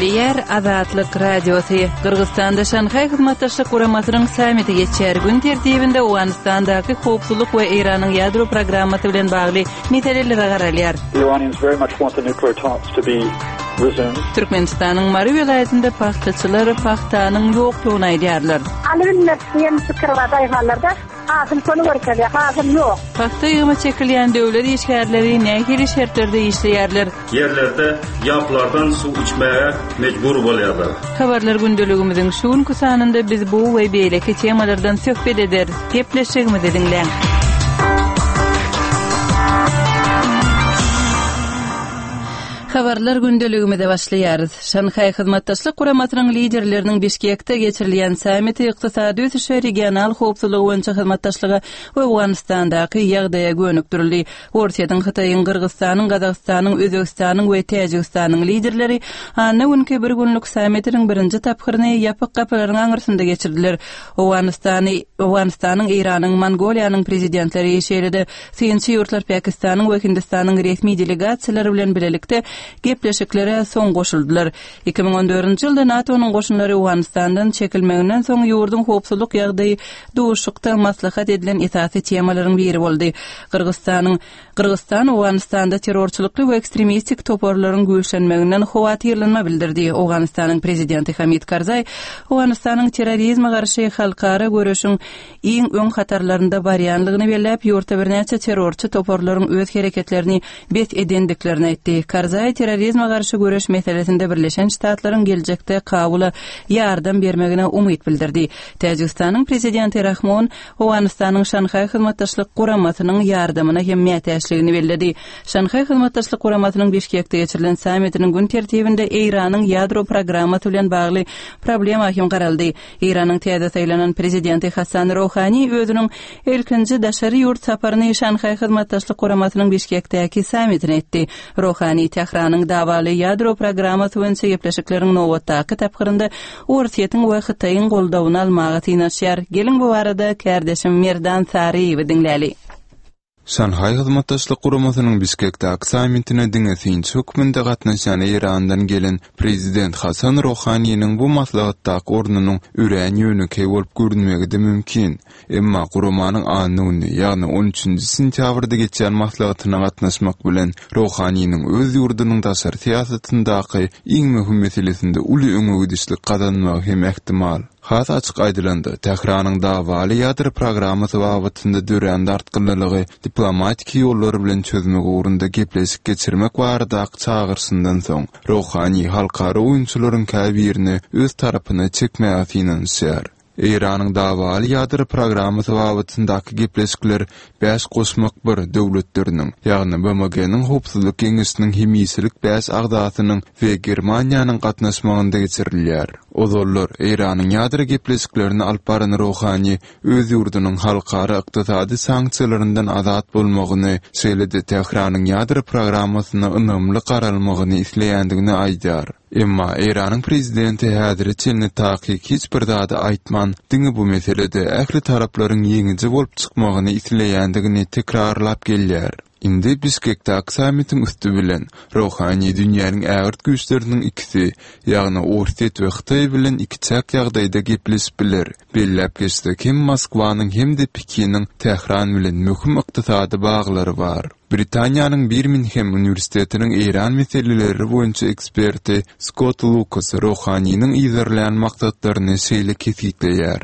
Gepleýär Azatlyk Radiosy. Gyrgyzystanda Şanhaý Hyzmatdaşlyk Guramasynyň sammiti geçýär. Gün tertibinde Owganystandaky howpsuzlyk we Eýranyň ýadro programmasy bilen bagly meselelere garalýar. Türkmenistanyň Mary welaýatynda pagtaçylar pagtanyň ýokdugyny aýdýarlar. Alybilmez diýen pikir bar daýhanlarda. Hasyl şony görkezýär, hasyl ýok. Pagta ýygyma çekilýän döwlet işgärleri nähili şertlerde işleýärler? Ýerlerde ýaplardan suw içmäge mejbur bolýarlar. Habarlar gündeligimiziň şu günki sanynda biz bu we beýleki temalardan söhbet ederis. Gepleşigimizi diňläň. Habarlar gündeligimize başlaýarys. Şanhaý Hyzmatdaşlyk Guramasynyň liderleriniň Bişkekde geçirilýän sammiti ykdysady ösüşe, regional howpsuzlygy boýunça hyzmatdaşlyga we Owganystandaky ýagdaýa gönükdirildi. Orsýetiň, Hytaýyň, Gyrgyzystanyň, Gazagystanyň, Özbegistanyň we Täjigistanyň liderleri anna günki bir günlük sammitiniň birinji tapgyryny ýapyk gapylaryň aňyrsynda geçirdiler. Owganystany, Owganystanyň, Eýranyň, Mongoliýanyň prezidentleri, şeýle-de synçy ýurtlar Pakistanyň we Hindistanyň resmi delegasiýalary bilen bilelikde gepleşiklere soň goşuldylar. 2014-nji ýylda NATO-nyň goşunlary Owganystandan çekilmeginden soň ýurduň howpsuzlyk ýagdaýy duşuşykda maslahat edilen esasy temalaryň biri boldy. Gyrgyzystanyň Gyrgyzystan Owganystanda terrorçylykly we ekstremistik toparlaryň güýçlenmeginden howatyrlanma bildirdi. Owganystanyň prezidenti Hamid Karzaý Owganystanyň terrorizme garşy halkara göreşiň iň öň hatarlarynda barýanlygyny belläp, ýurtda birnäçe terrorçy toparlaryň öz hereketlerini bes edendiklerini aýtdy. Karzaý terrorizme garşy göreş meselesinde Birleşen Ştatlaryň geljekde Kabula ýardam bermegine umyt bildirdi. Täjigistanyň prezidenti Rahmon Owganystanyň Şanhaý Hyzmatdaşlyk Guramasynyň ýardamyna hem mätäçligini belledi. Şanhaý Hyzmatdaşlyk Guramasynyň Bişkekde geçirilen sammitiniň gün tertibinde Eýranyň ýadro programmasy bilen bagly problema hem garaldy. Eýranyň täze saýlanan prezidenti Hasan Rohani özüniň ilkinji daşary ýurt saparyny Şanhaý Hyzmatdaşlyk Guramasynyň Bişkekdäki sammitine etdi. Rohani Tähranyň dawaly ýadro programmasy boýunça gepleşikleriň nobatdaky tapgyrynda Orsýetiň we Hytaýyň goldawyny almaga synanyşýar. Geliň bu barada kärdeşim Merdan Saryýewi diňläli. Şanhaý Hyzmatdaşlyk Guramasynyň Bişkekdäki sammitine diňe synçy hökmünde gatnaşýan Eýrandan gelen prezident Hasan Rohaniniň bu maslahatdaky ornunyň örän ýönekeý bolup görünmegi-de mümkin. Emma guramanyň anna güni, ýagny on üçünji sentýabrda geçýän maslahatyna gatnaşmak bilen, Rohaniniň öz ýurdunyň daşary syýasatyndaky iň möhüm meselesinde uly öňegidişlik gazanmagy hem ähtimal. Has açyk aýdylanda, Tähranyň dawaly ýadro programmasy babatynda dörän dartgynlylygy diplomatiki ýollar bilen çözmek ugrunda gepleşik geçirmek baradaky çagyryşyndan soň, Rohani halkara oýunçylaryň käbirini öz tarapyna çekmäge synanyşýar. Eýranyň dawaly ýadro programmasy babatyndaky gepleşikler Bäş goşmak bir döwletleriniň, ýagny BMG-niň Howpsuzlyk Geňeşiniň hemişelik bäş agzasynyň we Germaniýanyň gatnaşmagynda geçirilýär. Ozallar, Eýranyň ýadro gepleşiklerini alyp baran Rohani öz ýurdunyň halkara ykdysady sanksiýalaryndan azat bolmagyny, şeýle-de Tähranyň ýadro programmasyna ynamly garalmagyny isleýändigini aýdýar. Emma Eýranyň prezidenti häzire çenli takyk hiç bir zady aýtman, diňe bu meselede ähli taraplaryň ýeňiji bolup çykmagyny isleýändigini tekrarlap gelýär. Indi Bişkekdäki sammitiň üsti bilen, Rohani dünýäniň ägirt güýçleriniň ikisi, ýagny Orsýet we Hytaý bilen ikiçäk ýagdaýda gepleşip biler. Belläp geçsek, hem Moskwanyň hem-de Pekiniň Tähran bilen möhüm ykdysady baglary bar. Britaniýanyň Birminhem uniwersitetiniň Eýran meseleleri boýunça eksperti Skott Lukas Rohaniniň yzarlaýan maksatlaryny şeýle kesgitleýär.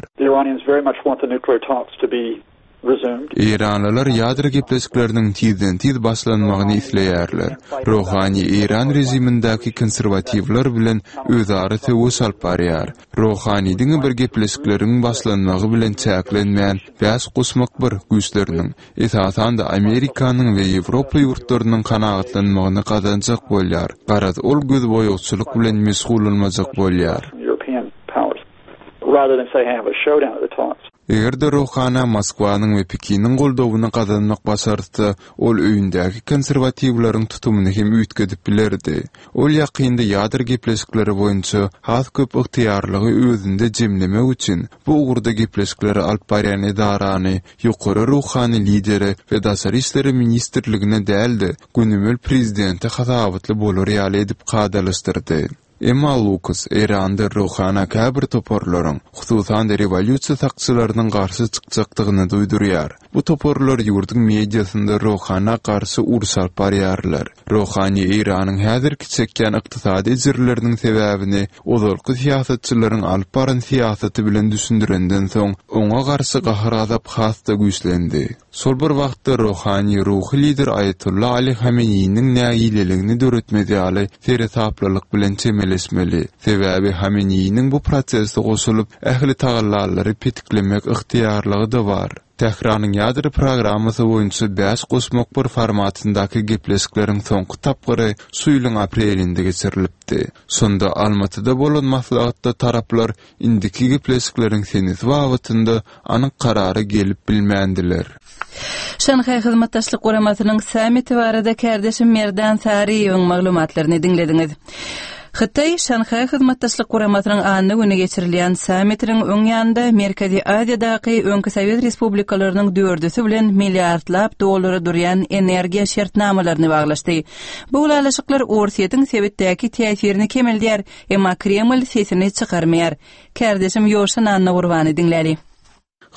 Eýranlylar ýadro gepleşikleriniň tizden-tiz başlanmagyny isleýärler. Rohani eýran režimindäki konserwatiwler bilen özara söweş alyp barýar. Rohani diňe bir gepleşikleriň başlanmagy bilen çäklenmän, bäş goşmak bir güýçleriniň, esasan-da Amerikanyň we Ýewropa ýurtlarynyň kanagatlanmagyny gazanjak bolýar. Garaz, ol gözboýagçylyk bilen meşgullanmajak bolýar. Eger-de Rohana Moskwanyň we Pekiniň goldawyny gazanmak başartsa, ol öýündäki konserwatiwleriň tutumyny hem üýtgedip bilerdi. Ol ýakynda ýadro gepleşikleri boýunça has köp ygtyýarlygy özünde jemlemek üçin bu ugurda gepleşikleri alyp barýan edarany ýokary ruhany lidere we Daşary işleri ministrligine däl-de, gönümel prezidente hasabatly bolar ýaly edip kadalaşdyrdy. Emma Lukas Eýranda Rohana käbir toparlaryň, hususan-da rewolýusiýa sakçylarynyň garşy çykjakdygyny duýdurýar. Bu toparlar ýurduň mediasynda Rohana garşy uruş alyp barýarlar. Rohani Eýranyň häzirki çekýän ykdysady ejirleriniň sebäbini ozalky syýasatçylaryň alyp baran syýasaty bilen düşündirenden soň, oňa garşy gahar-gazap has-da güýçlendi. Şol bir wagtda Rohani ruhy lider Aýatolla Ali Hameneýiniň nägileligini döretmez ýaly seresaplylyk bilen çemeleşmeli. Sebäbi Hameneýiniň bu prosese goşulyp, ähli tagallalary petiklemek ygtyýarlygy-da bar. Tähranyň ýadro programmasy boýunça bäş goşmak bir formatyndaky gepleşikleriň soňky tapgyry şu ýylyň aprelinde geçirilipdi. Şonda Almatyda bolan maslahatda taraplar indiki gepleşikleriň senesi babatynda anyk karara gelip bilmändiler. Şanhaý Hyzmatdaşlyk Guramasynyň sammiti barada kärdeşim Merdan Saryýewiň maglumatlaryny diňlediňiz. Hytaý Şanhaý Hyzmatdaşlyk Guramasynyň anna güni geçirilýän sammitiniň öň ýanynda Merkezi Aziýadaky öňki sowet respublikalarynyň dördüsi bilen milliardlap dollara durýan energiýa şertnamalaryny baglaşdy. Bu ylalaşyklar Orsýetiň sebitdäki täsirini kemeldýär, Emma Kreml sesini çykarmaýar. Kärdeşim Ýowşan Annagurbany diňläli.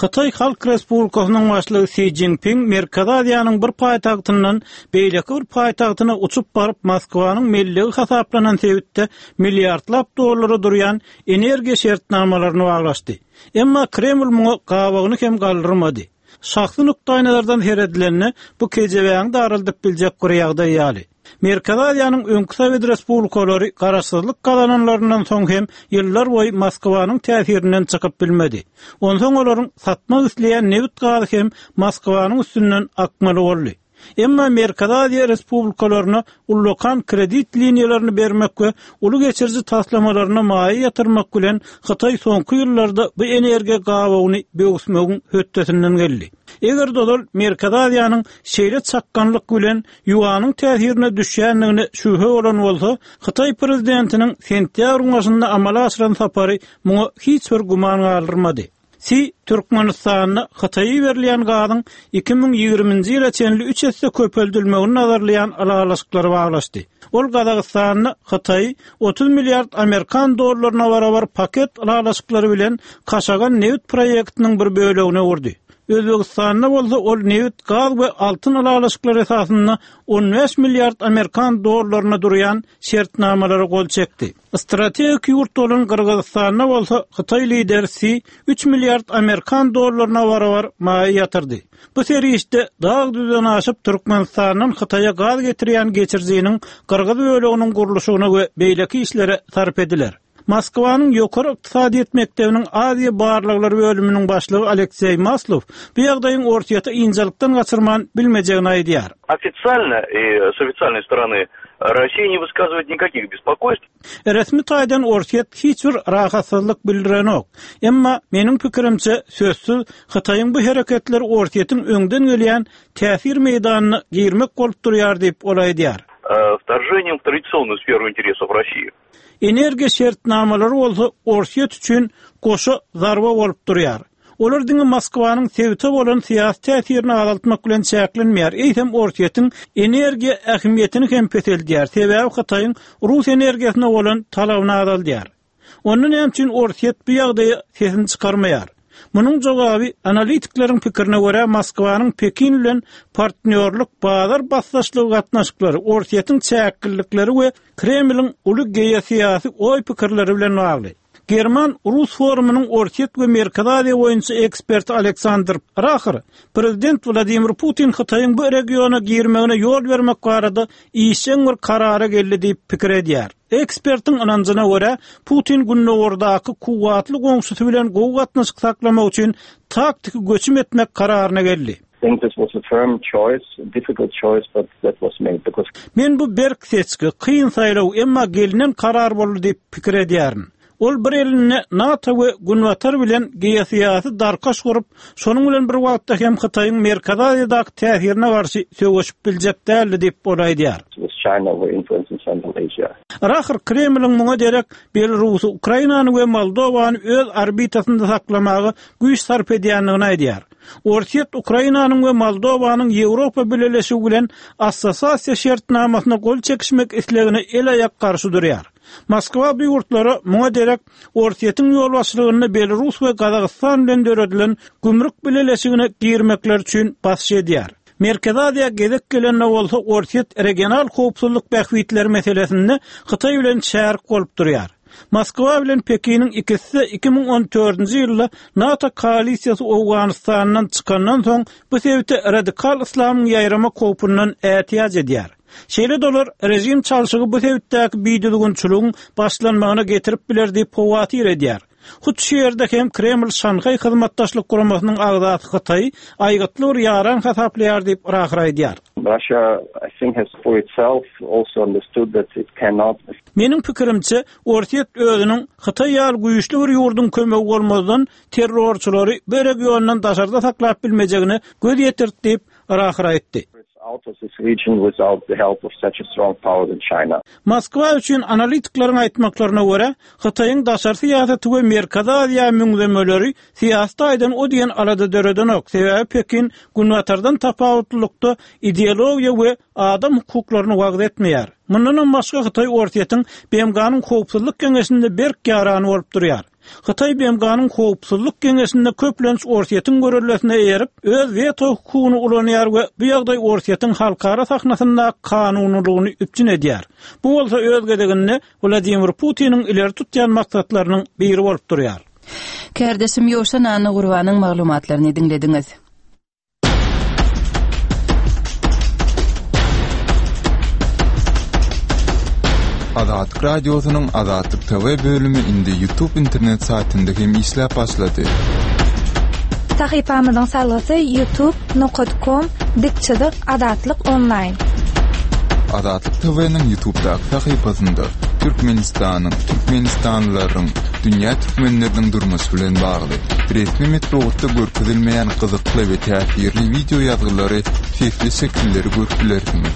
Hytaý Halk Respublikasynyň Başlygy Si Szinpin Merkezi Aziýanyň bir paýtagtyndan beýleki bir paýtagtyna uçup baryp, Moskwanyň mellegi hasaplanan sebitde milliardlap dollara durýan energiýa şertnamalaryny baglaşdy. Emma Kreml muňa gabagyny hem galdyrmady. Şahsy nukdaýnazardan seredilende, bu kejebäňi daraldyp biljek bir ýagdaý ýaly. Merkezi Aziýanyň öňki sowet respublikalary garaşsyzlyk gazananlaryndan soň hem ýyllar boýy Moskwanyň täsirinden çykyp bilmedi. Onsoň olaryň satmak isleýän nebit-gazy hem Moskwanyň üstünden akmaly boldy. Emma Merkezi Aziýa respublikalaryna ullakan kredit liniýalaryny bermek we uly geçiriji taslamalaryna maýa ýatyrmak bilen Hytaý soňky ýyllarda bu energiýa gabawyny böwüsmegiň hötdesinden geldi. Eger-de ozal Merkezi Aziýanyň şeýle çakganlyk bilen ýuanyň täsirine düşýändigine şübhe bolan bolsa, Hytaý prezidentiniň sentýabryň başynda amala aşyran sapary muňa hiç bir güman galdyrmady. Si Türkmenistanda Hytaýa iberilýän gazyň 2020-nji ýyla çenli üç esse köpeldilmegini nazarlaýan ylalaşyklary baglaşdy. Ol Gazagystanda Hytaýy 30 milliard amerikan dollaryna barabar paket ylalaşyklary bilen Kaşagan nebit proýektiniň bir bölegine öwürdi. Özbegistanda bolsa ol nebit, gaz we altyn ylalaşyklary esasynda 15 milliard amerikan dollaryna durýan şertnamalara gol çekdi. Strategik ýurt bolan Gyrgyzystanda bolsa hytaý lideri Si üç milliard amerikan dollaryna barabar maýa ýatyrdy. Bu serişde dag-düzden aşyp Türkmenistandan Hytaýa gaz getirýän geçirijiniň gyrgyz böleginiň gurluşygyna we beýleki işlere sarp ediler. Moskwanyň Ýokary ykdysadyýet mekdebiniň Aziýa barlaglary bölüminiň başlygy Alekseý Maslow bu ýagdaýyň Orsýeti ynjalykdan gaçyrman bilmejegini aýdýar. Ofitsialno i s ofitsialnoý storony Rossiýa ne wyskazywaet nikakih bespokoýstw. Resmi taýdan Orsýet hiç bir rahatsyzlyk bildirenok. Emma, meniň pikirimçe, sözsüz, Hytaýyň bu hereketleri Orsýetiň öňden gelýän täsir meýdanyna girmek bolup durýar diýip, ol aýdýar. Wtorženiem w tradisionnuýu sferu interesow Rossii. Energiýa şertnamalary bolsa Orsýet üçin goşa zarba bolup durýar. Olar diňe Moskwanyň sebite bolan syýasy täsirini azaltmak bilen çäklenmeýär, eýsem Orsýetiň energiýa ähmiýetini hem peseldýär, sebäbi Hytaýyň rus energiýasyna bolan talabyny azaldýar. Onda näme üçin Orsýet bu ýagdaýa sesini çykarmaýar? Munuň jogaby, analitikleriň pikirine görä, Moskwanyň Pekin bilen partnýorlyk, bazar basdaşlygy gatnaşyklary, Orsýetiň çäklilikleri we Kremliň uly geosyýasy oý-pikirleri bilen bagly. German-rus forumynyň Orsýet we Merkezi Aziýa boýunça eksperti Aleksandr Rahr prezident Wladimir Putin Hytaýyň bu regiona girmegine ýol bermek barada işjeň bir karara geldi diýip pikir edýär. Ekspertiň ynanjyna görä, Putin gündogardaky kuwwatly goňşusy bilen gowy gatnaşyk saklamak üçin taktiki göçüm etmek kararyna geldi. Think this was a firm choice, a difficult choice, but that was made because. Men bu berk seçgi, kyn saýlaw, emma gelnen karar boldy diýip pikir edýärin. Ol bir elinde NATO we Günbatar bilen geosyýasy darkaş gurup, şonuň bilen bir wagtda hem Hytaýyň Merkezi Aziýadaky täsirine garşy söweşip biljek däldi diýip, ol aýdýar. With China over influence in Central. Asia. Rahr Kremliň muňa derek Belarusy, Ukrainany we Moldowany öz orbitasynda saklamaga güýç sarp edýändigini aýdýar. Orsýet Ukrainanyň we Moldowanyň Ýewropa Bileleşigi bilen Assosiasiýa şertnamasyna gol çekişmek islegine el-aýak garşy durýar. Moskwa bu ýurtlara muňa derek Orsýetiň ýolbaşçylygynda Belarus we Gazagystan bilen döredilen Gümrük bileleşigine girmekleri üçin basyş edýär. Merkezi Aziýa gezek gelende bolsa Orsýet regional howpsuzlyk bähbitleri meselesinde Hytaý bilen şärik bolup durýar. Moskwa bilen Pekiniň ikisi-de 2014-nji ýylda NATO koalisiýasy Owganystandan çykandan soň bu sebite radikal yslamyň ýaýramak howpundan ätiýaç edýär. Şeýle-de olar režim çalşygy bu sebitdäki bidüzgünçiligiň başlanmagyna getirip biler diýip howatyr edýär. Hut şu ýerde hem Kreml Şanhaý Hyzmatdaşlyk Guramasynyň agzasy Hytaýy aýgytly bir ýaran hasaplaýar diýip, Rahr aýdýar. Russia, I think, has for itself also understood that it cannot. Meniň pikirimçe, Orsýet özüniň Hytaý ýaly güýçli bir ýurduň kömegi bolmazdan terrorçylary bu regiondan daşarda saklap bilmejegine göz ýetirdi diýip, Rahr aýtdy. Moskwa üçin analitikleriň aýtmaklaryna görä, Hytaýyň daşary syýasaty we Merkezi Aziýa müňzemeleri syýasy taýdan o diýen alada döredenok, sebäbi Pekin Günbatardan tapawutlylykda ideologiýa we adam hukuklaryny wagyz etmeýär. Mundanam başga Hytaý Orsýetiň BMG-niň Howpsuzlyk Geňeşinde berk ýarany bolup durýar. Hytaý BMG-niň Howpsuzlyk Geňeşinde köplenç Orsýetiň görellesine eýerip, öz weto hukugyny ulanýar we bu ýagdaý Orsýetiň halkara sahnasyndaky kanunylygyny üpjün edýär. Bu bolsa öz gezeginde Wladimir Putiniň ileri tutýan maksatlarynyň biri bolup durýar. Kärdeşim Ýowşan Annagurbanyň maglumatlaryny diňlediňiz. Azatlyk Radiosynyň Azatlyk TV bölümi indi YouTube internet saýtynda hem işläp başlady. Sahypamyzyň salgysy youtube nokat kom dik çyzyk azatlyk onlaýn. Azatlyk TV-niň YouTube'daky sahypasynda Türkmenistanyň, türkmenistanlylaryň, dünýä türkmenleriniň durmuşy bilen bagly resmi metbugatda görkezilmeýän gyzykly we täsirli wideo ýazgylary, sesli şekilleri görüp bilersiňiz.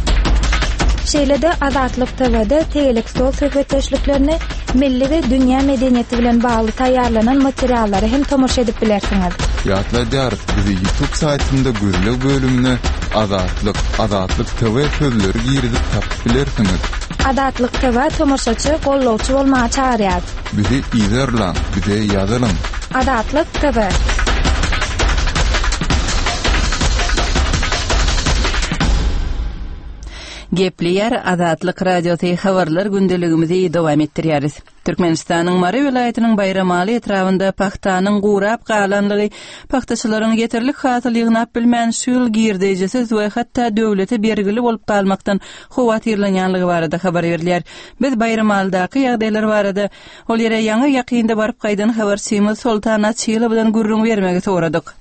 Şeýle-de Azatlyk TW-de tegelek stol söhbetdeşliklerini, milli we dünýä medeniýeti bilen bagly taýýarlanan materiallara hem tomaşa edip bilersiňiz. Ýatladýarys, bizi YouTube saýtynda gözleg bölümine Azatlyk, Azatlyk TV sözleri girizip tapyp bilersiňiz. Azatlyk TV tomaşaçy, gollawçy bolmaga çagyrýar. Bizi yzarlaň, bize ýazylyň. Azatlyk TV. Gepleýär Azatlyk Radiosy habarlar gündeligimizi dowam etdirýäris. Türkmenistanyň Mary welaýatynyň Baýramaly etrabynda pagtanyň gurap galanlygy, pagtaçylaryň ýeterlik hasyl ýygnap bilmän şu ýyl girdejisiz we hatda döwlete bergili bolup galmakdan howatyrlanýanlygy barada habar berilýär. Biz Baýramalydaky ýagdaýlar barada ol ýere ýaňy ýakynda baryp gaýdan habarçymyz Soltan Açylowdan gürrüň bermegi soradyk.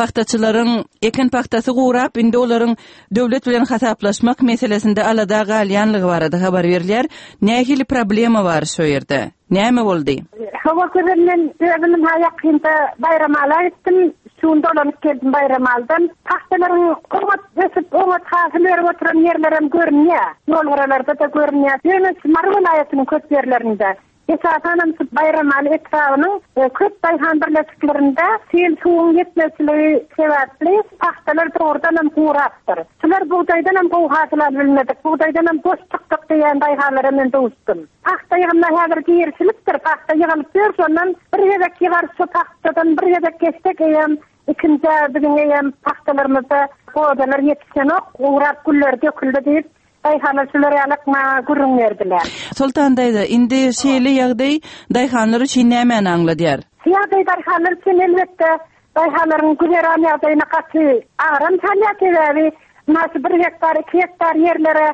Pagtaçylaryň eken pagtasy gurap, indi olaryň döwlet bilen hasaplaşmak meselesinde alada galýanlygy barada habar berilýär. Nähili problema bar şo ýerde? Näme boldy? Hawa gözel men özüm ynha ýakynda Baýramala gitdim. Şu gün dolanyp geldim Baýramaldan. Pagtalaryň oňat ösüp, oňat hasyl berip oturan ýerlerem görünýär. Ýolgyralarda-da görünýär. Ýöne şu Mary welaýatynyň köp ýerlerinde Esasanam şu Baýramaly etrabynyň köp daýhan birleşiklerinde sil suwuň ýetmezçiligi sebäpli pagtalar dogrudanam gurapdyr. Şular bugdaýdanam gowy hasyl alyp bilmedik, bugdaýdanam boş çykdyk diýýän daýhanlara men duşdum. Pagta ýygymyna häzir girişilipdir, pagta ýygylyp ýör, şondan bir gezek ýygarys şu pagtadan bir gezek geçsek eýýäm ikinjä biziň eýýäm pagtalarymyzda gozalar ýetişenok, gurap gülleri döküldi diýip, Daýhanlar şular ýalak maňa gürrüň berdiler. Soltan daýza, indi şeýle ýagdaý daýhanlar üçin nämäni aňladýar? Şu ýagdaý daýhanlar üçin elbetde, daýhanlaryň güzeran ýagdaýyna gaty agram salýar, sebäbi ynha şu bir gektar, iki gektar ýerlere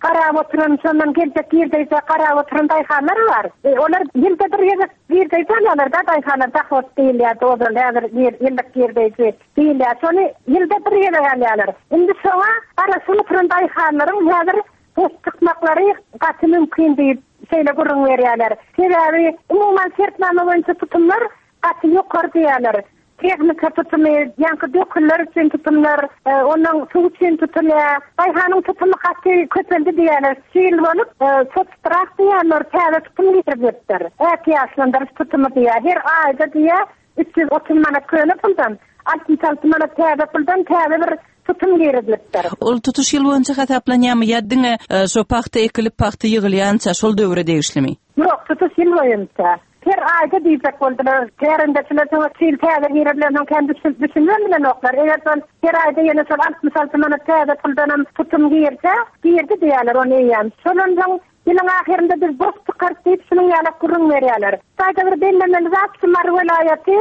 garap oturan, şondan geljek girdeýjä garap oturan daýhanlar bar. Olar ýylda bir gezek girdeýji alýarlar-da, daýhanlar dahod diýilýärdi ozal, häzir ýyllyk girdeýji. Diýilýär. Şony ýylda bir gezek alýarlar. Indi şoňa garaşyp oturan daýhanlaryň häzir boş çykmaklary gaty mümkin diýip, şeýle gürrüň berýärler. Sebäbi, umuman, şertnama boýunça tutumlar gaty ýokary diýýärler. Tehnika tutumy, ýaňky dökünler üçin tutumlar, ondan suw üçin tutulýar. Daýhanyň tutumy gaty köpeldi diýýärler. Şu ýyl bolup, soçtrak diýýärler, täze tutum girizilipdir. Ätiýaçlandyryş tutumy diýýär. Her aýda diýýär, 330 manat köne puldan, 66 manat täze puldan täze bir tutum girizilipdir. Ol tutuş ýyl boýunça hasaplanýarmy ýa diňe şo pagta ekilip, pagta ýygylýança şol döwre degişlimi? Ýok, tutuş ýyl boýunça. Her aýda diýjek boldular. Kärendeçiler şoňa çil täze girizilensoň kän düşünibem bilenoklar. Eger şol her aýda ýene şol 66 manat täze puldanam tutum girse, girdi diýýärler ony eýýäm. Şondan soň ýylyň ahyrynda biz boş çykarys diýip şunuň ýalak gürrüň berýärler. Şu taýda bir bellemeli zat şu Mary welaýaty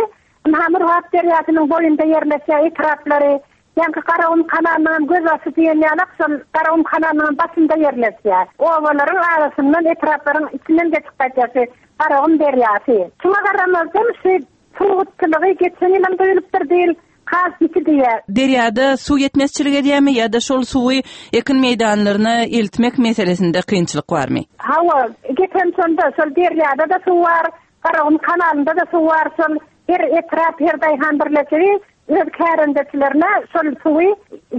ynha Murgap derýasynyň boýunda ýerleşýär etraplary. Ýaňky Garagum kanalynyňam gözbaşy diýen ýalak şol Garagum kanalynyňam başynda ýerleşýär. Obalaryň arasyndan, etraplaryň içinden geçip gaýdýar şu Garagum derýasy. Şuňa garamazdan şu suw gytçylygy geçen ýylam duýulypdyr diýil, has ýiti diýýär. Derýada suw ýetmezçilik edýärmi ýa-da şol suwy ekin meýdanlaryna eltmek meselesinde kynçylyk barmy? Hawa, gepem şonda, şol derýada-da suw bar, Garagum kanalynda-da suw bar, şol her etrap, her daýhan birleşigi öz kärendeçilerine şol suwy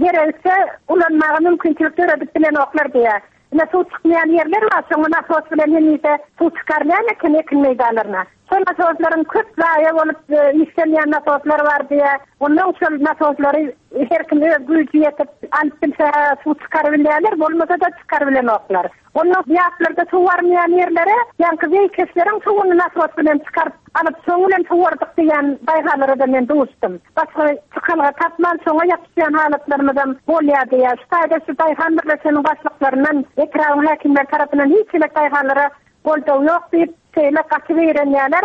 geregiçe ulanmaga mümkinçilik döredip bilenoklar diýýär. Ine, suw çykmaýan ýerler bar, şoňa nasos bilen hemişe suw çykarylýan eken ekin meýdanlaryna. Şol nasoslaryň köp zaýa bolup işlemeýän nasoslar bar diýýär. Onnoň şol nasoslary her kim öz güýji ýetip alyp bilse-hä suw çykarybilýärler, bolmasa-da çykarybilenoklar. Onda ýaplarda suw barmaýan ýerlere ýaňky zeýkeşleriň suwuny nasos bilen çykaryp alyp, şoň bilen suwardyk diýýän daýhanlara-da men duşdum. Başga çykalga tapman şoňa ýapyşýan halatlarymyzam bolýar diýýär. Şu taýda şu daýhan birleşiginiň başlyklaryndan, etrabyň häkimleri tarapyndan hiç hili daýhanlara goldaw ýok diýip, şeýle gaty zeýrenýärler.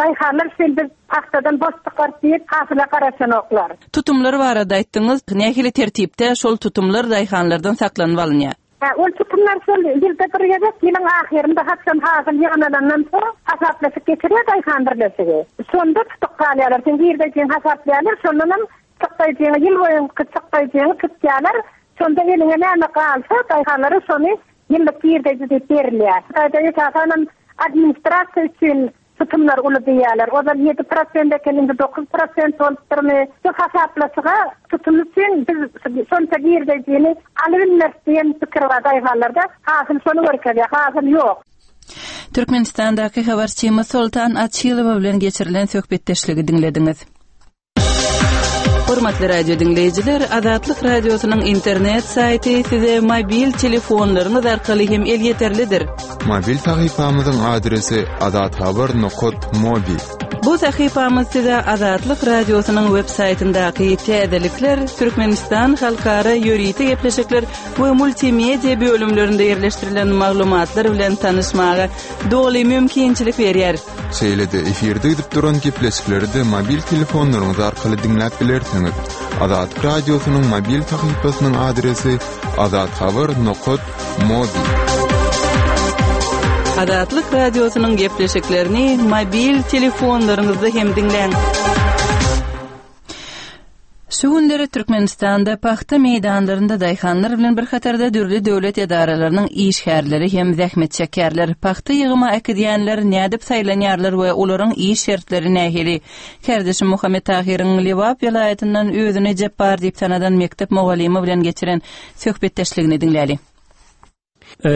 Daýhanlar şeýle biz pagtadan boş çykarys diýip, hasyla garaşanoklar. Tutumlar barada aýtdyňyz. Nähili tertipde şol tutumlar daýhanlardan saklanyp alynýar? Hä, ol tutumlar şol ýylda bir gezek, ýylyň ahyrynda haçan hasyl ýygnalandan soň hasaplaşyk geçirýär daýhan birleşigi. Şonda tutup galýarlar. Seň girdejiňi hasaplaýarlar, şondanam çykdaýjyňy, ýyl boýunky çykdaýjyňy tutýarlar. Şonda eliňe näme galsa, daýhanlara şony ýyllyk girdeji diýip berilýär. Hytaýda esasanam administrasiýa üçin Tutumlar uly diýýärler. Ozal 7% eken, indi 9% bolupdyrmy? Şu hasaplaşyga tutum üçin biz şonça girdejini alybilmeris diýen pikir bar daýhanlarda. Hasyl şony görkezýär, hasyl ýok. Türkmenistandaky habarçymyz Soltan Açylowa bilen geçirilen söhbetdeşligi diňlediňiz. Hormatly radio diňleýjiler, Azatlyk Radiosynyň internet saýty size mobil telefonlaryňyz arkaly hem elýeterlidir. Mobil sahypamyzyň adresi azathabar.mobi. Bu sahypamyz size Azatlyk Radiosynyň web saýtyndaky täzelikler, Türkmenistan halkara ýörite gepleşikler we multimedia bölümlerinde ýerleşdirilen maglumatlar bilen tanyşmaga doly mümkinçilik berýär. Şeýle-de efirde gidip duran gepleşikleri-de mobil telefonlaryňyz arkaly diňläp bilersiňiz. Azatlyk Radiosynyň mobil sahypasynyň adresi azathabar nokat mobi. Azatlyk Radiosynyň gepleşiklerini mobil telefonlaryňyzda hem diňläň. Şu günleri Türkmenistanda pagta meýdanlarynda daýhanlar bilen bir hatarda dürli döwlet edaralarynyň işgärleri hem zähmet çekýärler. Pagta ýygyma äkidýänler nädip saýlanýarlar we olaryň iş şertleri nähili? Kärdeşim Muhammet Tahyryň Lebap welaýatyndan özüni Jepbar diýip tanadan mekdep mugallymy bilen geçiren söhbetdeşligini diňläli.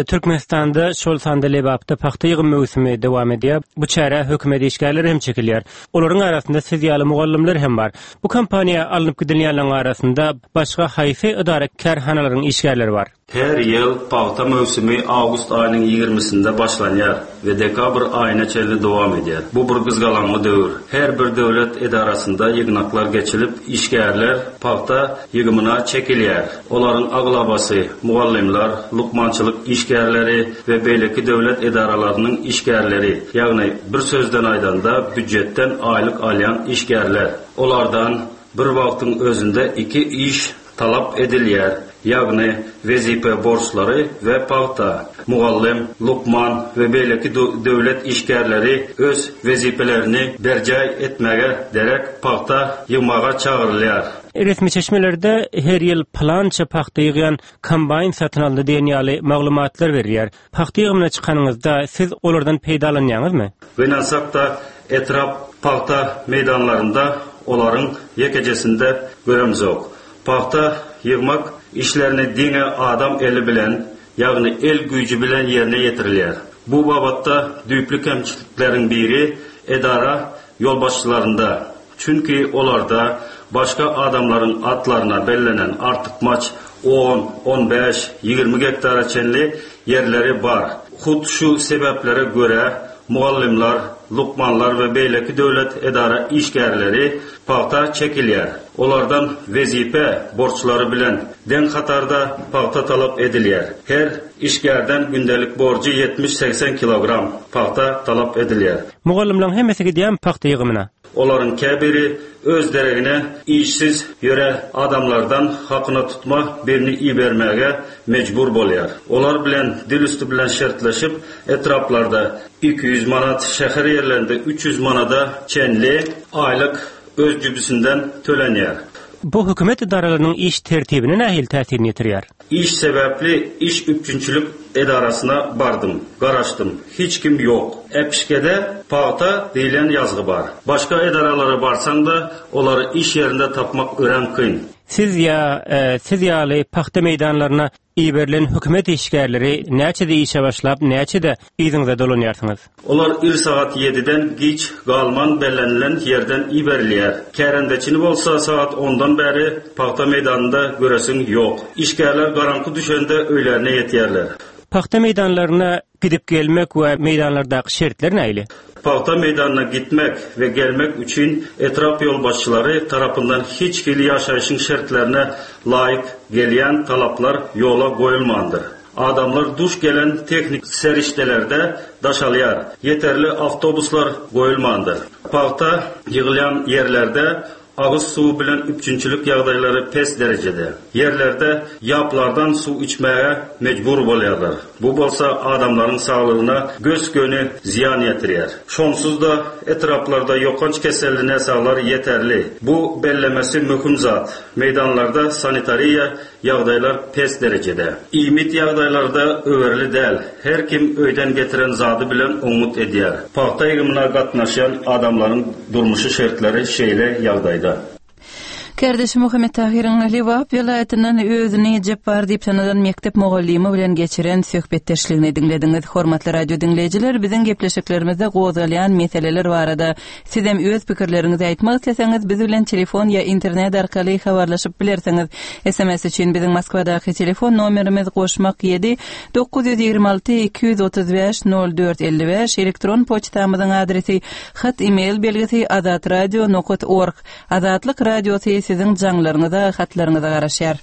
Türkmenistanda, şol sanda Lebapda pagta ýygym möwsümi dowam edýär. Bu çärä hökümet işgärleri hem çekilýär. Olaryň arasynda siz ýaly mugallymlar hem bar. Bu kompaniýa alnyp gidilýänleriň arasynda başga haýsy edara-kärhanalaryň işgärleri bar? Her ýyl pagta möwsümi awgust aýynyň ýigrimisinde başlanýar we dekabr aýyna çenli dowam edýär. Bu bir gyzgalaňly döwür. Her bir döwlet edarasynda ýygnaklar geçilip, işgärler pagta ýygymyna çekilýär. Olaryň aglabasy mugallymlar, lukmançylyk işgärleri we beýleki döwlet edaralarynyň işgärleri, ýagny bir sözden aýdanda býujetden aýlyk alýan işgärler. Olardan bir wagtyň özünde iki iş talap edilýär, ýagny wezipe borçlary we pagta. Mugallym, lukman we beýleki döwlet işgärleri öz wezipelerini berjaý etmäge derek pagta ýygmaga çagyrylýar. Resmi çeşmelerde her ýyl pylança pagta ýygýan kombaýn satyn alyndy diýen ýaly maglumatlar berilýär. Pagta ýygymyna çykanyňyzda siz olardan peýdalanýaňyzmy? Gynansak-da, etrap pagta meýdanlarynda. olaryň ýekejesini-de göremzok. Pagta ýygmak işlerini diňe adam eli bilen, ýagny el güýji bilen ýerine ýetirilýär. Bu babatda düýpli kemçilikleriň biri edara ýolbaşçylarynda. Çünki olarda başga adamlaryň atlaryna bellenen artykmaç on, on bäş, 20 gektara çenli ýerleri bar. Hut şu sebäplere görä, mugallymlar, lukmanlar we beýleki döwlet edara işgärleri pagta çekilýär. Olardan wezipe borçlary bilen deň hatarda pagta talap edilýär. Her işgärden gündelik borjy ýetmiş-segsen kilogram pagta talap edilýär. Mugallymlaryň hemmesi gidýärmi pagta ýygymyna? Olaryň käbiri öz deregine işsiz ýören adamlardan hakyna tutma birini ibermäge mejbur bolýar. Olar bilen dil üsti bilen şertleşip, etraplarda 200 manat, şäher ýerlerinde 300 manada çenli aýlyk öz jübüsinden tölenýär. Bu hökümet edaralarynyň iş tertibine nähili täsirini ýetirýär? Iş sebäpli iş üpjünçilik edarasyna bardym. Garaşdym. Hiç kim ýok. Äpişgede pagta diýlen ýazgy bar. Başga edaralara barsaň-da, olary iş ýerinde tapmak örän kyn. Siz ýa siz ýaly pagta meýdanlaryna iberilen hökümet işgärleri näçede işe başlap, näçede yzyňyza dolanýarsyňyz? Olar ir sagat ýediden giç galman bellenilen ýerden iberilýär. Kärendeçini bolsa sagat ondan bäri pagta meýdanynda göresiň ýok. Işgärler garaňky düşende öýlerine ýetýärler. Pagta meýdanlaryna gidip-gelmek we meýdanlardaky şertler nähili? Pagta meýdanyna gitmek we gelmek üçin etrap ýolbaşçylary tarapyndan hiç hili ýaşaýşyň şertlerine laýyk gelýän talaplar ýola goýulmandyr. Adamlar duş gelen tehniki serişdelerde daşalýar, ýeterli awtobuslar goýulmandyr. Pagta ýygylýan ýerlerde agyz suwy bilen üpjünçilik ýagdaýlary pes derejede. Ýerlerde ýaplardan suw içmäge mejbur bolýarlar. Bu bolsa adamlaryň saglygyna gös-göni zyýan ýetirýär. Şonsuz-da etraplarda ýokanç keselli näsaglar ýeterli. Bu bellemesi möhüm zat, meýdanlarda sanitariýa Ýagdaýlar pes derejede. Iýmit ýagdaýlary-da öwerli däl. Her kim öýden getiren zady bilen oňňut edýär. Pagta ýygymyna gatnaşýan adamlaryň durmuşy şertleri şeýle ýagdaýda. Kärdeşi Muhammet Tahyryň Lebap welaýatyndan özüni Jepbar diýip tanadan mekdep mugallymy bilen geçiren söhbetdeşligini diňlediňiz. Hormatly radio diňleýjiler, biziň gepleşiklerimizde gozgalýan meseleler barada Sizem öz pikirleriňizi aýtmak isleseňiz, biz bilen telefon ýa internet arkaly habarlaşyp bilersiňiz. Sms üçin biziň Moskwadaky telefon nomerimiz goşmak ýedi, 926 235 04 55, elektron poçtamyzyň adresi hat e-mail belgisi azatradio nokat org. Azatlyk Radiosy siziň jaňlaryňyza, hatlaryňyza garaşýar.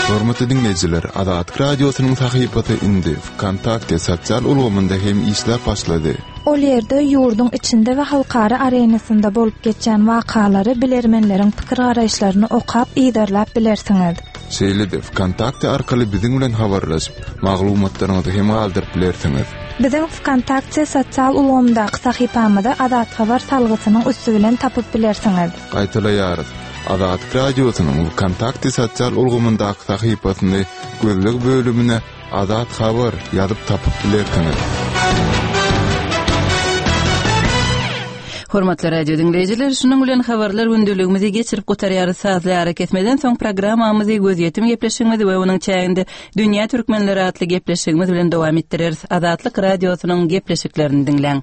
Hormatly diňleýjiler, Azatlyk Radiosynyň sahypasy indi Wkontakte sosial ulgamynda hem işläp başlady. Ol ýerde ýurduň içinde we halkara arenasynda bolup geçýän wakalary, bilermenleriň pikir-garaýyşlaryny okap, yzarlap bilersiňiz. Şeýle-de Wkontakte arkaly biziň bilen habarlaşyp, maglumatlaryňyzy hem galdyryp bilersiňiz. Biziň Wkontakte sosial ulgamyndaky sahypamyzy Azat Habar salgysynyň üsti bilen tapyp bilersiňiz. Gaýtalaýarys, Azatlyk Radiosynyň Wkontakte sosial ulgamyndaky sahypasyny gözleg bölümine Azat Habar ýazyp tapyp bilersiňiz. Hormatly radio diňleýjiler, şunuň bilen habarlar gündeligimizi geçirip gutarýarys. Sazly arakesmeden soň programmamyzy gözýetim gepleşigimizi we onuň çäginde Dünýä türkmenleri atly gepleşigimiz bilen dowam etdireris. Azatlyk Radiosynyň gepleşiklerini diňläň.